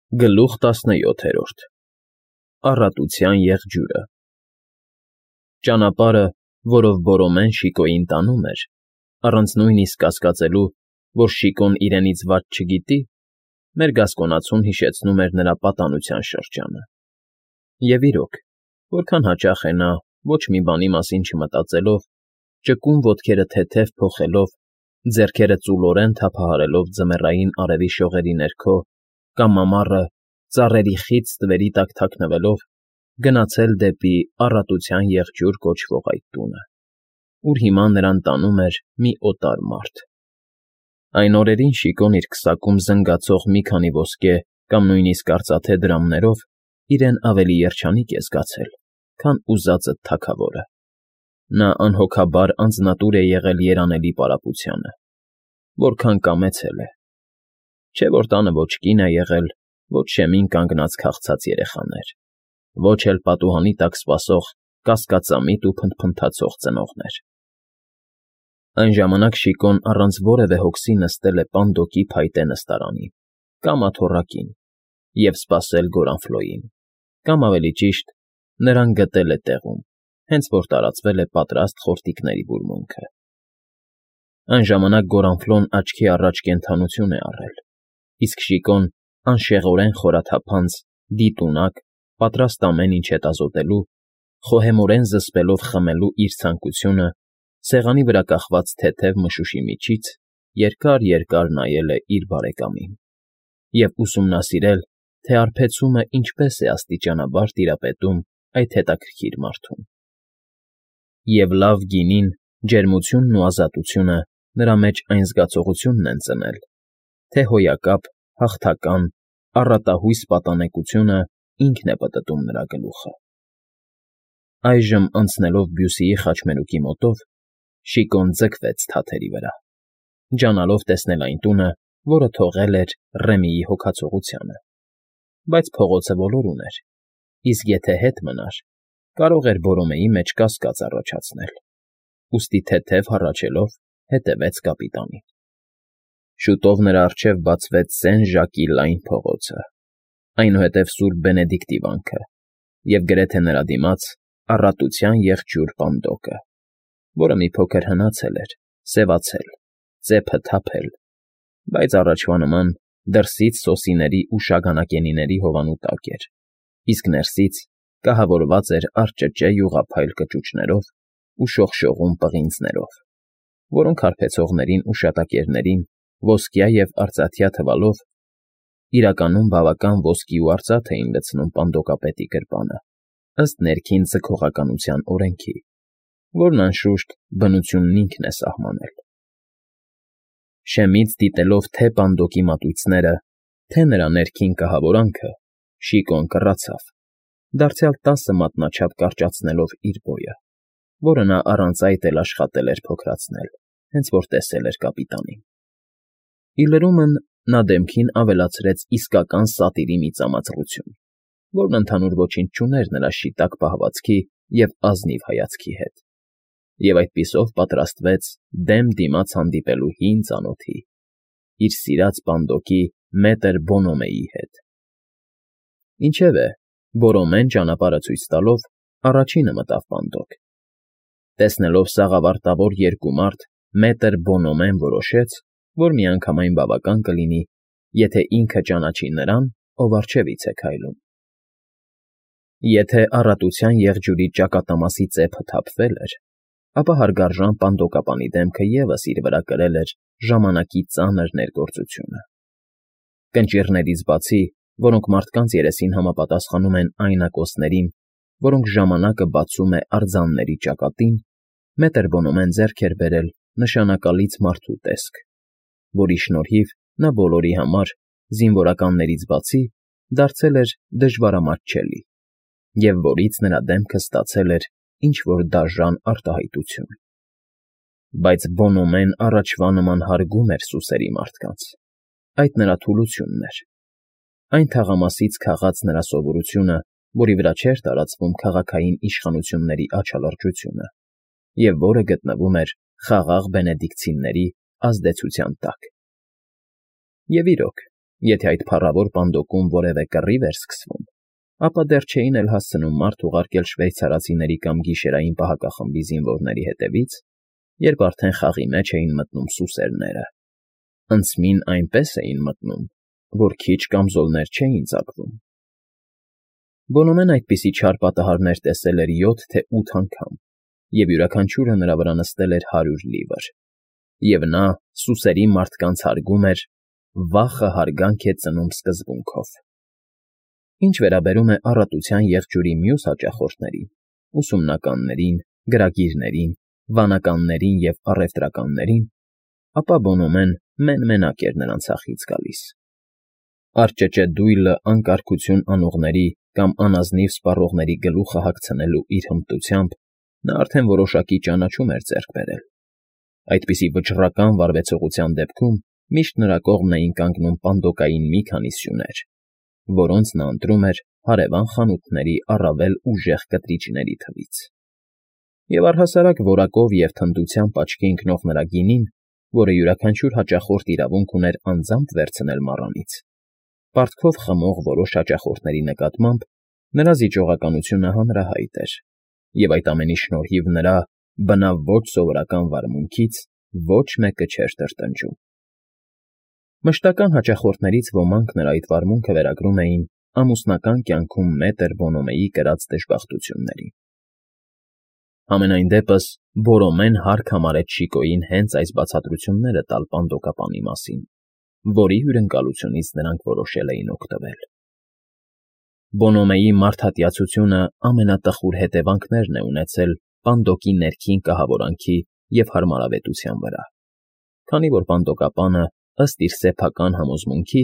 Գլուխ 17 Առատության եղջյուրը Ճանապարհը, որով Բորոմեն Շիկոյին տանում էր, առանց նույնիսկ կասկածելու, որ Շիկոն իրենից վատ չգիտի, մեր գասկոնացուն հիշեցնում էր նրա պատանության շրջանը։ Եվ իրոք, որքան հաճախ է նա, ոչ մի բանի մասին չմտածելով, ճկուն ոտքերը թեթև փոխելով, ձեռքերը ծուլորեն թափահարելով ձմեռային արևի շողերի ներքո, կամ ամառը, ծառերի խիտ ստվերի տակ թաքնվելով, գնացել դեպի Առատության Եղջյուր կոչվող այդ տունը, ուր հիմա նրան տանում էր մի օտար մարդ։ Այն օրերին Շիկոն իր քսակում զնգացող մի քանի ոսկե կամ նույնիսկ արծաթե դրամներով իրեն ավելի երջանիկ է զգացել, քան ուզածդ թագավորը։ Նա անհոգաբար անձնատուր է եղել երանելի պարապությանը, որքան կամեցել է։ Չէ որ տանը ոչ կին է եղել, ոչ շեմին կանգնած քաղցած երեխաներ, ոչ էլ պատուհանի տակ սպասող կասկածամիտ ու փնթփնթացող ծնողներ։ Այն ժամանակ Շիկոն առանց որևէ հոգսի նստել է պանդոկի փայտե նստարանին, կամ աթոռակին, և սպասել Գորանֆլոյին, կամ ավելի ճիշտ, նրան գտել է տեղում, հենց որ տարածվել է պատրաստ խորտիկների բուրմունքը։ Այն ժամանակ Գորանֆլոն աչքի առաջ կենդանություն է առել, իսկ Շիկոն անշեղորեն խորաթափանց, դիտունակ, պատրաստ ամեն ինչ հետազոտելու, խոհեմորեն զսպելով խմելու իր ցանկությունը, սեղանի վրա կախված թեթև մշուշի միջից երկար֊երկար նայել է իր բարեկամին և ուսումնասիրել, թե արբեցումը ինչպես է աստիճանաբար տիրապետում այդ հետաքրքիր մարդուն։ Եվ լավ գինին, ջերմությունն ու ազատությունը նրա մեջ այն զգացողությունն են ծնել, թե հոյակապ, հաղթական, առատահույս պատանեկությունը ինքն է պտտում նրա գլուխը։ Այժմ, անցնելով Բյուսիի խաչմերուկի մոտով, Շիկոն ձգվեց թաթերի վրա, ջանալով տեսնել այն տունը, որը թողել էր Ռեմիի հոգացողությանը։ Բայց փողոցը ոլորուն էր, իսկ եթե հետ մնար, կարող էր Բորոմեի մեջ կասկած առաջացնել, ուստի թեթև հառաչելով հետևեց կապիտանին։ Շուտով նրա առջև բացվեց սեն ժակի լայն փողոցը, այնուհետև Սուրբ Բենեդիկտի վանքը և գրեթե նրա դիմաց Առատության Եղջյուր պանդոկը, որը մի փոքր հնացել էր, սևացել, ծեփը թափել, բայց առաջվա նման դրսից սոսիների ու շագանակենիների հովանու տակ էր, իսկ ներսից կահավորված էր արճճե յուղափայլ կճուճներով ու շողշողուն պղինձներով, որոնք հարբեցողներին ու շատակերներին ոսկյա և արծաթյա թվալով իրականում բավական ոսկի ու արծաթ էին լցնում պանդոկապետի գրպանը, ըստ ներքին ձգողականության օրենքի, որն, անշուշտ, բնությունն ինքն է սահմանել։ Շեմից դիտելով թե պանդոկի մատույցները, թե նրա ներքին կահավորանքը, Շիկոն կռացավ, դարձյալ 10 մատնաչափ կարճացնելով իր բոյը, որը նա առանց այդ էլ աշխատել էր փոքրացնել, հենց որ տեսել էր կապիտանին։ Ի լրումն նա դեմքին ավելացրեց իսկական սատիրի մի ծամածղություն, որն ընդհանուր ոչինչ չուներ նրա շիտակ պահվածքի և ազնիվ հայացքի հետ, և այդպիսով պատրաստվեց դեմ դիմաց հանդիպելու հին ծանոթի՝ իր սիրած պանդոկի մետր Բոնոմեի հետ։ Ինչևէ, Բորոմեն ճանապարհը ցույց տալով առաջինը մտավ պանդոկ։ Տեսնելով սաղավարտավոր երկու մարդ, մետր Բոնոմեն որոշեց, որ միանգամայն բավական կլինի, եթե ինքը ճանաչի նրան, ով առջևից է քայլում։ Եթե Առատության Եղջյուրի ճակատամասի ծեփը թափվել էր, ապա հարգարժան պանդոկապանի դեմքը ևս իր վրա կրել էր ժամանակի ծանր ներգործությունը։ Կնճիռներից բացի, որոնք մարդկանց երեսին համապատասխանում են այն ակոսներին, որոնք ժամանակը բացում է արձանների ճակատին, մետր Բոնոմեն ձեռք էր բերել նշանակալից մարդու տեսք, որի շնորհիվ նա բոլորի համար, զինվորականներից բացի, դարձել էր դժվարամատչելի, և որից նրա դեմքը ստացել էր ինչ֊որ դաժան արտահայտություն։ Բայց Բոնոմեն առաջվա նման հարգում էր սուսերի մարդկանց, այդ նրա թուլությունն էր, այն թաղամասից քաղած նրա սովորությունը, որի վրա չէր տարածվում քաղաքային իշխանությունների աչալրջությունը, և որը գտնվում էր խաղաղ բենեդիկտցիների ազդեցության տակ։ Եվ իրոք, Եթե այդ փառավոր պանդոկում որևէ կռիվ էր սկսվում, ապա դեռ չէին էլ հասցնում մարդ ուղարկել շվեյցարացիների կամ գիշերային պահակախմբի զինվորների հետևից, երբ արդեն խաղի մեջ էին մտնում սուսերները։ Անցմին այնպես էին մտնում, որ քիչ կամզոլներ չէին ծակվում։ Բոնոմեն այդպիսի չար պատահարներ տեսել էր 7 թե 8 անգամ, և յուրաքանչյուրը նրա վրա նստել էր 100 լիվր, և նա սուսերի մարդկանց հարգում էր «վախը հարգանք է ծնում» սկզբունքով։ Ինչ վերաբերում է առատության եղջյուրի մյուս հաճախորդներին՝ ուսումնականներին, գրագիրներին, վանականներին և առևտրականներին, ապա Բոնոմեն մեն֊մենակ էր նրանց հախից գալիս։ Արճճե դույլը անկարգություն անողների կամ անազնիվ սպառողների գլուխը հագցնելու իր հմտությամբ նա արդեն որոշակի ճանաչում էր ձեռք բերել։ Այդպիսի վճռական վարվեցողության դեպքում միշտ նրա կողմն էին կանգնում պանդոկային մի քանի սյուներ, որոնց նա ընտրում էր հարևան խանութների առավել ուժեղ կտրիչների թվից։ Եվ առհասարակ որակով և թնդությամբ աչքի ընկնող նրա գինին, որը յուրաքանչյուր հաճախորդ իրավունք ուներ անձամբ վերցնել մառանից, պարտքով խմող որոշ հաճախորդների նկատմամբ նրա զիջողականությունը հանրահայտ էր, և այդ ամենի շնորհիվ նրա բնավ ոչ սովորական վարմունքից ոչ մեկը չէր տրտնջում։ Մշտական հաճախորդներից ոմանք նրա այդ վարմունքը վերագրում էին ամուսնական կյանքում մետր Բոնոմեի կրած դժբախտություններին։ Համենայն դեպս Բորոմեն հարկ համարեց Շիկոյին հենց այս բացատրությունները տալ պանդոկապանի մասին, որի հյուրընկալությունից նրանք որոշել էին օգտվել։ Բոնոմեի մարդատյացությունը ամենատխուր հետևանքներն է ունեցել պանդոկի ներքին կահավորանքի և հարմարավետության վրա, քանի որ պանդոկապանը, ըստ իր սեփական համոզմունքի,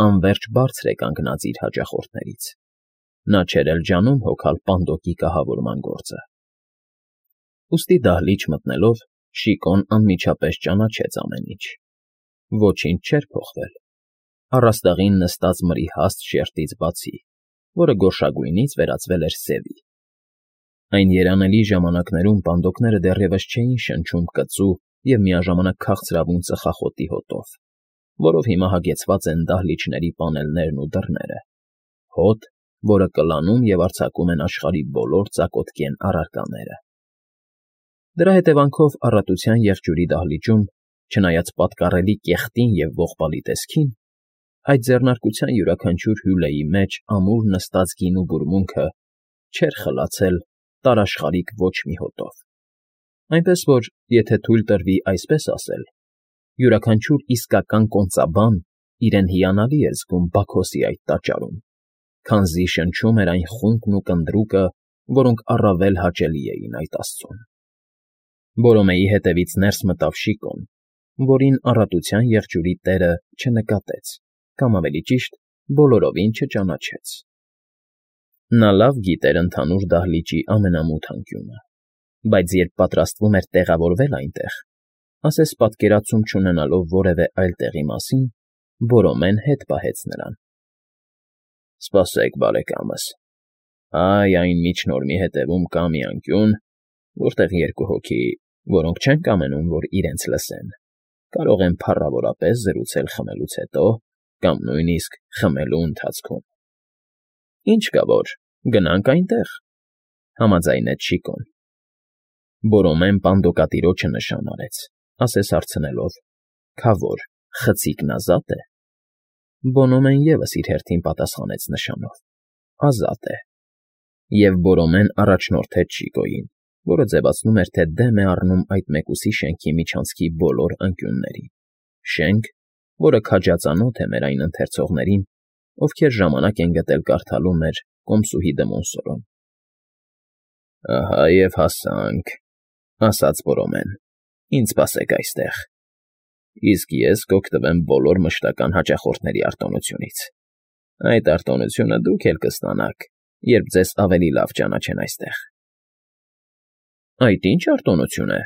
անվերջ բարձր է կանգնած իր հաճախորդներից։ Նա չէր էլ ջանում հոգալ պանդոկի կահավորման գործը։ Ուստի դահլիճ մտնելով՝ Շիկոն անմիջապես ճանաչեց ամեն ինչ։ Ոչինչ չէր փոխվել, առաստաղին նստած մրի հաստ շերտից բացի, որը գորշագույնից վերածվել էր սևի։ Այն երանելի ժամանակներում պանդոկները դեռևս չէին շնչում կծու և միաժամանակ քաղցրավուն ծխախոտի հոտով, որով հիմա հագեցված են դահլիճների պանելներն ու դռները, հոտ, որը կլանում և արձակում են աշխարհի բոլոր ծակոտկեն առարկաները։ Դրա հետևանքով առատության եղջյուրի դահլիճում, չնայած պատկառելի կեղտին և ողբալի տեսքին, այդ ձեռնարկության յուրաքանչյուր հյուրեի մեջ ամուր նստած գինու բուրմունքը չէր խլացել տարաշխարիկ ոչ մի հոտով։ Այնպես որ, եթե թույլ տրվի այսպես ասել, յուրաքանչյուր իսկական կոնծաբան իրեն հիանալի էր զգում Բաքոսի այդ տաճարում, քանզի շնչում էր այն խունկն ու կնդրուկը, որոնք առավել հաճելի էին այդ աստծուն։ Բորոմեի հետևից ներս մտավ Շիկոն, որին առատության եղջյուրի տերը չնկատեց, կամ ավելի ճիշտ, բոլորովին չճանաչեց։ Նա լավ գիտեր ընդհանուր դահլիճի ամենամութ անկյունը, բայց երբ պատրաստվում էր տեղավորվել այնտեղ, ասես պատկերացում չունենալով որևէ այլ տեղի մասին, Բորոմեն հետ պահեց նրան։ Սպասեք, բարեկամս, այն միջնորմի հետևում կա մի անկյուն, որտեղ երկու հոգի, որոնք չեն կամենում, որ իրենց լսեն, կարող են փառավորապես զրուցել խմելուց հետո կամ նույնիսկ խմելու ընթացքում։ Ինչ կա որ, գնանք այնտեղ, համաձայնեց Շիկոն։ Բորոմեն պանդոկատիրոջը նշան արեց, ասես հարցնելով. «Քավոր, խցիկն ազատ է»։ Բոնոմեն ևս իր հերթին պատասխանեց նշանով. «Ազատ է»։ Եվ Բորոմեն առաջնորդեց Շիկոյին, որը ձևացնում էր, թե դեմ է առնում այդ մեկուսի շենքի միջանցքի բոլոր անկյուններին, շենք, որը քաջածանոթ է մեր այն ընթերցողներին, ովքեր ժամանակ են գտել կարդալու մեր «Կոմսուհի դը Մոնսորոն»։ Ահա և հասանք, ասաց Բորոմեն, ինձ սպասեք այստեղ, իսկ ես կօգտվեմ բոլոր մշտական հաճախորդների արտոնությունից։ Այդ արտոնությունը դուք էլ կստանաք, երբ ձեզ ավելի լավ ճանաչեն այստեղ։ Այդ ի՞նչ արտոնություն է։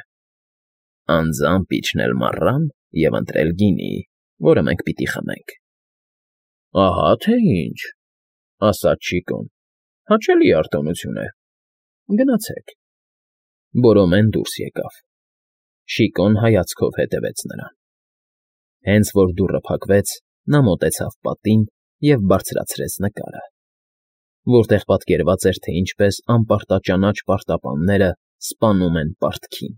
Անձամբ իջնել մառան և ընտրել գինի, որը մենք պիտի խմենք։ Ահա թե ինչ, ասաց Շիկոն, հաճելի արտոնություն է։ Գնացեք։ Բորոմեն դուրս եկավ։ Շիկոն հայացքով հետևեց նրան։ Հենց որ դուռը փակվեց, նա մոտեցավ պատին և բարձրացրեց նկարը, որտեղ պատկերված էր, թե ինչպես անպարտաճանաչ պարտապանները սպանում են պարտքին։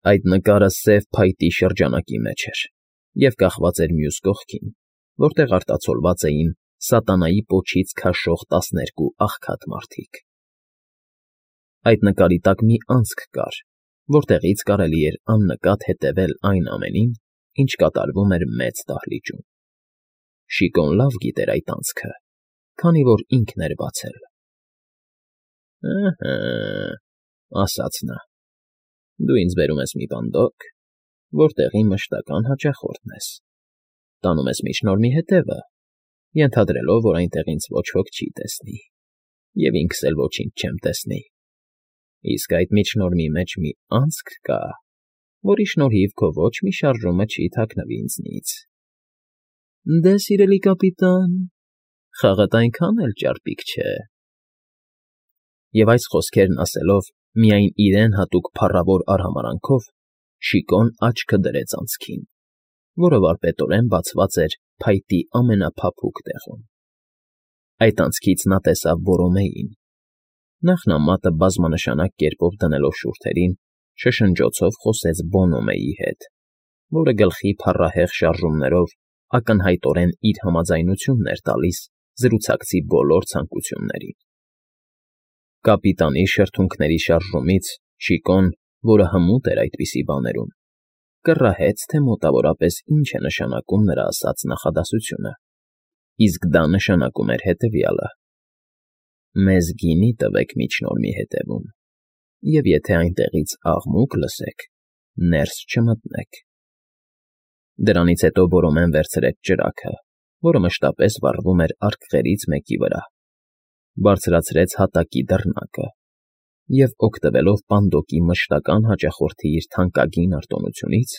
Այդ նկարը սև փայտի շրջանակի մեջ էր և կախված էր մյուս կողքին, որտեղ արտացոլված էին սատանայի պոչից քաշող 12 աղքատ մարդիկ։ Այդ նկարի տակ մի անցք կար, որտեղից կարելի էր աննկատ հետևել այն ամենին, ինչ կատարվում էր մեծ դահլիճում։ Շիկոն լավ գիտեր այդ անցքը, քանի որ ինքն էր բացել։ «Ըհը,֊ ասաց նա,֊ դու ինձ բերում ես մի բանդոկ, որտեղի մշտական հաճախորդն ես, տանում ես միջնորմի հետևը, ենթադրելով, որ այնտեղ ինձ ոչ ոք չի տեսնի, և ինքս էլ ոչինչ չեմ տեսնի, իսկ այդ միջնորմի մեջ մի անցք կա, որի շնորհիվ քո ոչ մի շարժումը չի թաքնվի ինձնից։ Դե, սիրելի կապիտան, խաղդ այնքան էլ ճարպիկ չէ»։ Եվ այս խոսքերն ասելով միայն իրեն հատուկ փառավոր արհամարհանքով, Շիկոն աչքը դրեց անցքին, որը վարպետորեն բացված էր փայտի ամենափափուկ տեղում։ Այդ անցքից նա տեսավ Բորոմեին։ Նախ նա մատը բազմանշանակ կերպով դնելով շուրթերին, շշնջոցով խոսեց Բոնոմեի հետ, որը գլխի փառահեղ շարժումներով ակնհայտորեն իր համաձայնությունն էր տալիս զրուցակցի բոլոր ցանկություններին։ Կապիտանի շրթունքների շարժումից Շիկոն, որը հմուտ էր այդպիսի բաներում, կռահեց, թե մոտավորապես ինչ է նշանակում նրա ասած նախադասությունը, իսկ դա նշանակում էր հետևյալը. «Մեզ գինի տվեք միջնորմի հետևում, և եթե այնտեղից աղմուկ լսեք, ներս չմտնեք»։ Դրանից հետո Բորոմեն վերցրեց ճրագը, որը մշտապես վառվում էր արկղերից մեկի վրա, բարձրացրեց հատակի դռնակը և, օգտվելով պանդոկի մշտական հաճախորդի իր թանկագին արտոնությունից,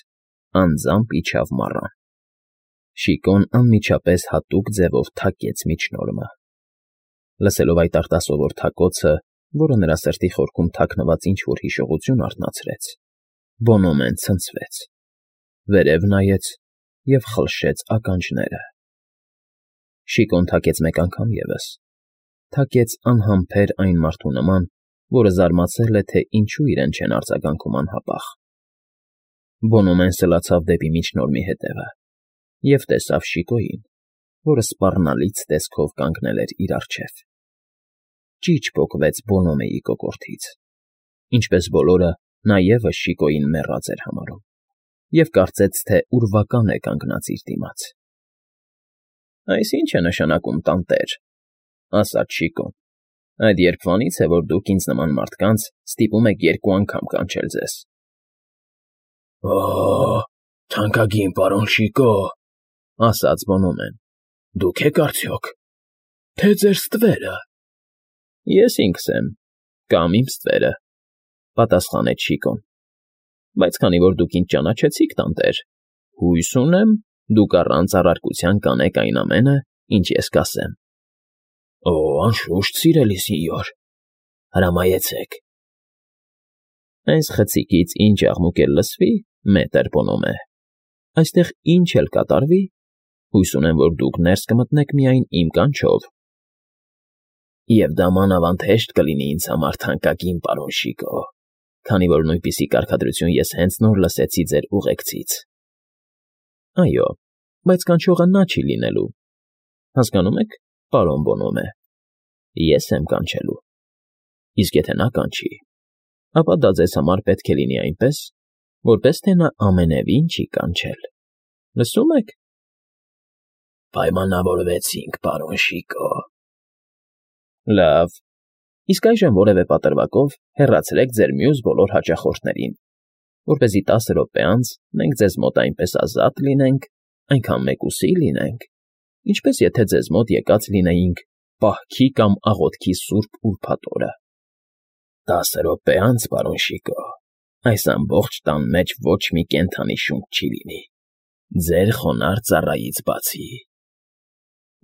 անձամբ իջավ մառան։ Շիկոն անմիջապես հատուկ ձևով թակեց միջնորմը։ Լսելով այդ արտասովոր թակոցը, որը նրա սրտի խորքում թաքնված ինչ֊որ հիշողություն արթնացրեց, Բոնոմեն ցնցվեց, վերև նայեց և խլշեց ականջները։ Շիկոն թակեց մեկ անգամ ևս, թակեց անհամբեր այն մարդու նման, որը զարմացել է, թե ինչու իրեն չեն արձագանքում անհապաղ։ Բոնոմեն սլացավ դեպի միջնորմի հետևը և տեսավ Շիկոյին, որը սպառնալից տեսքով կանգնել էր իր առջև։ Ճիչ պոկվեց Բոնոմեի կոկորդից։ Ինչպես բոլորը, նա ևս Շիկոյին մեռած էր համարում և կարծեց, թե ուրվական է կանգնած իր դիմաց։ «Այս ի՞նչ է նշանակում, տանտեր,֊ ասաց Շիկոն,֊ այդ երբվանի՞ց է, որ դուք ինձ նման մարդկանց ստիպում եք երկու անգամ կանչել ձեզ»։ «Օ՜, թանկագին պարոն Շիկո,֊ ասաց Բոնոմեն,֊ դուք եք արդյոք, թե ձեր ստվերը»։ «Ես ինքս եմ, կամ իմ ստվերը,֊ պատասխանեց Շիկոն,֊ բայց քանի որ դուք ինձ ճանաչեցիք, տանտեր, հույս ունեմ, դուք առանց առարկության կանեք այն ամենը, ինչ ես կասեմ»։ «Օ, անշուշտ, սիրելի սենյոր, հրամայեցեք»։ «Այս խցիկից ինչ աղմուկ էլ լսվի, մետր Բոնոմե, այստեղ ինչ էլ կատարվի, հույս ունեմ, որ դուք ներս կմտնեք միայն իմ կանչով»։ «Եվ դա մանավանդ հեշտ կլինի ինձ համար, թանկագին պարոն Շիկո, քանի որ նույնպիսի կարգադրություն ես հենց նոր լսեցի ձեր ուղեկցից»։ «Այո, բայց կանչողը նա չի լինելու, հասկանո՞ւմ եք, պարոն Բոնոմե, ես եմ կանչելու, իսկ եթե նա կանչի, ապա դա ձեզ համար պետք է լինի այնպես, որպես թե նա ամենևին չի կանչել, լսո՞ւմ եք»։ «Պայմանավորվեցինք, պարոն Շիկո»։ «Լավ, իսկ այժմ որևէ պատրվակով հեռացրեք ձեր մյուս բոլոր հաճախորդներին, որպեսզի 10 րոպե անց մենք ձեզ մոտ այնպես ազատ լինենք, այնքան մեկուսի լինենք, ինչպես եթե ձեզ մոտ եկած լինեինք պահքի կամ աղոթքի սուրբ ուրբաթ օրը»։ 10 րոպե անց, պարոն Շիկո, այս ամբողջ տան մեջ ոչ մի կենդանի շունչ չի լինի, ձեր խոնարհ ծառայից բացի։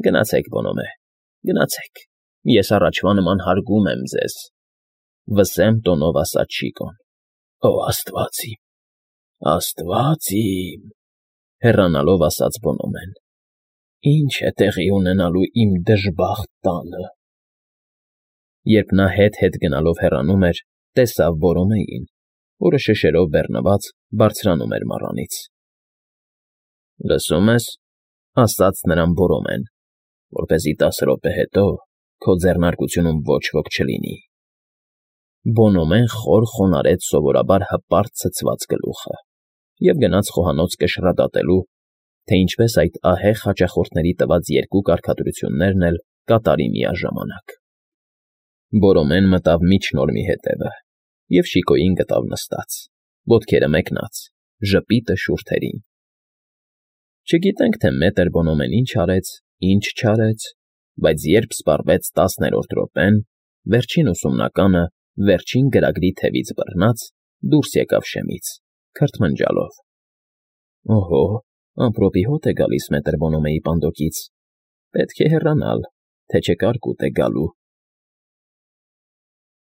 Գնացեք, Բոնոմե, գնացեք, ես առաջվա նման հարգում եմ ձեզ,֊ վսեմ տոնով ասաց Շիկոն։ «Օ, աստված իմ, աստված իմ», հեռանալով ասաց Բոնոմեն։ Ինչ է տեղի ունենալու իմ դժբախտ տանը։ Երբ նա հետ գնալով հեռանում էր, տեսավ Որոմեին, որը շշերով բեռնված բարձրանում էր մառանից։ ֊ Լսում ես,֊ ասաց նրան Որոմեն,֊ որպեսզի 10 րոպե հետո քո ձեռնարկությունում ոչ ոք չլինի։ Բոնոմեն խոր խոնարհեց սովորաբար հպարտ ցցված գլուխը և գնաց խոհանոց կշռադատելու, թե ինչպես այդ ահեղ հաճախորդների տված երկու կարգադրություններն էլ կատարի միաժամանակ։ Բորոմեն մտավ միջնորմի հետևը և Շիկոյին գտավ նստած, ոտքերը մեկնած, ժպիտը շուրթերին։ Չգիտենք, թե մետր Բոնոմեն ինչ արեց, ինչ չարեց, բայց երբ սպառվեց 10-րդ րոպեն, վերջին ուսումնականը վերջին գրագրի թևից բռնած դուրս եկավ շեմից, քրթմնջալով. «Օհո, ամպրոպի հոտ է գալիս մետր Բոնոմեի պանդոկից, պետք է հեռանալ, թե չէ կարկուտ է գալու»։